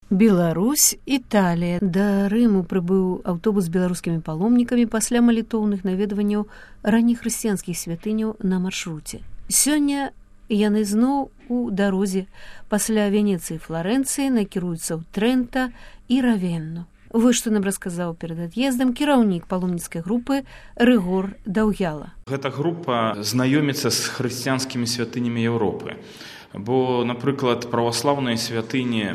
Беларусь, Італія. Да Рыму прыбыў аўтобус з беларускімі паломнікамі пасля малітоўных наведванняў раннехрысціянскіх святыняў на маршруце. Сёння яны зноў у дарозе пасля Венецыі і Фларэнцыі накіруюцца ў Трэнта і Равенну. Вось што нам расказаў перад ад'ездам кіраўнік паломніцкай групы Рыгор Даўгяла. Гэта група знаёміцца з хрысціянскімі святынямі Еўропы. Бо, напрыклад, праваслаўныя святыні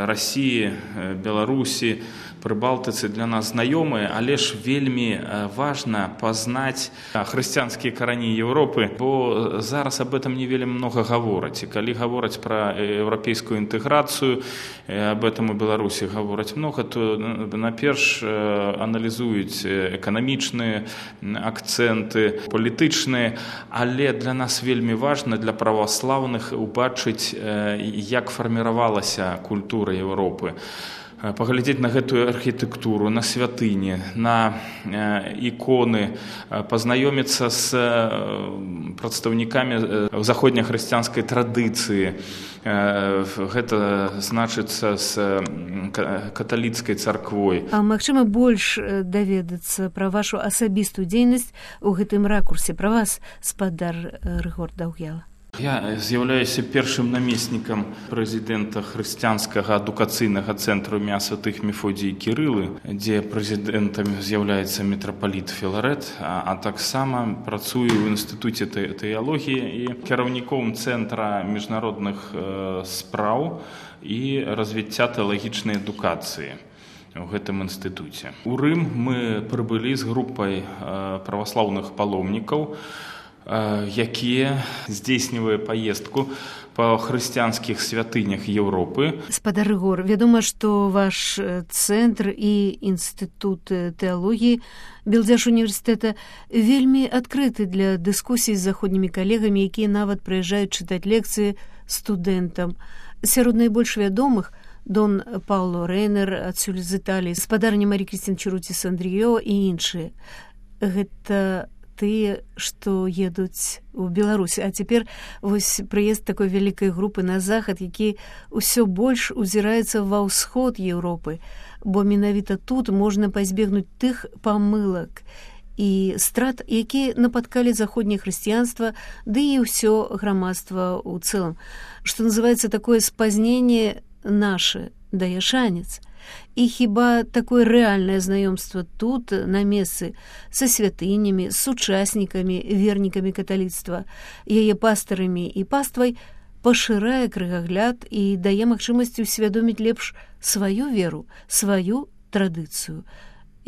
Расіі, Беларусі, Прыбалтыцы для нас знаёмыя, але ж вельмі важна пазнаць хрысціянскія карані Еўропы, бо зараз об этом не вельмі многа гавораць. І калі гавораць пра еўрапейскую інтэграцыю, об этом у Беларусі гавораць многа, то наперш аналізуюць эканамічныя акцэнты, палітычныя, але для нас вельмі важна, для праваслаўных, убачыць, як фарміравалася культура Еўропы. Паглядзець на гэтую архітэктуру, на святыні, на іконы, пазнаёміцца з прадстаўнікамі заходнехрысціянскай традыцыі. Гэта значыцца з каталіцкай царквой. А магчыма больш даведацца пра вашу асабістую дзейнасць у гэтым ракурсе, пра вас, спадар Рыгор Даўгяла? Я з'яўляюся першым намеснікам прэзідэнта хрысціянскага адукацыйнага цэнтру імя святых Мефодія і Кірылы, дзе прэзідэнтам з'яўляецца мітрапаліт Філарэт, а таксама працую ў інстытуце тэалогіі і кіраўніком цэнтра міжнародных спраў і развіцця тэалагічнай адукацыі у гэтым інстытуце. У Рым мы прыбылі з групай праваслаўных паломнікаў, якія здзейснівае паездку па хрысціянскіх святынях Еўропы. Спадар Рыгор, вядома, што ваш цэнтр і інстытут тэалогіі Белдзяш універсітэта вельмі адкрыты для дыскусій з заходнімі калегамі, якія нават прыязджаюць чытаць лекцыі студэнтам. Сярод найбольш вядомых Дон Пауло Рейнер, адсюль з Італіі, спадарня Марі Крістін Чыруціс Андрыё і іншыя. Гэта тыя, што едуць у Беларусь. А цяпер вось прыезд такой вялікай групы на захад, які ўсё больш узіраецца ва ўсход Еўропы, бо менавіта тут можна пазбегнуць тых памылак і страт, якія напаткалі заходняе хрысціянства, ды і ўсё грамадства ў цэлым. Што называецца такое спазненне наше, дае шанец. І хіба такое рэальнае знаёмства тут, на месцы, са святынямі, з сучаснікамі, вернікамі каталіцтва, яе пастарамі і паствай, пашырае крыгагляд і дае магчымасць усвядоміць лепш сваю веру, сваю традыцыю.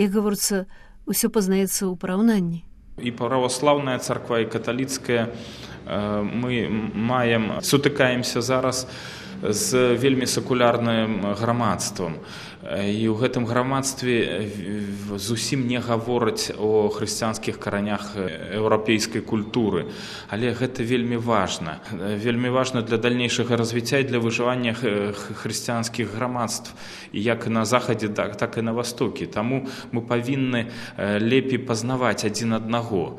Як гаворыцца, усё пазнаецца ў параўнанні. І праваслаўная царква, і каталіцкая мы сутыкаемся зараз з вельмі сакулярным грамадствам. І ў гэтым грамадстве зусім не гавораць о хрысціянскіх каранях еўрапейскай культуры. Але гэта вельмі важна. Вельмі важна для дальнейшага развіцця і для выжывання хрысціянскіх грамадств. І як на захадзе, так і на востокі. Таму мы павінны лепей пазнаваць адзін аднаго.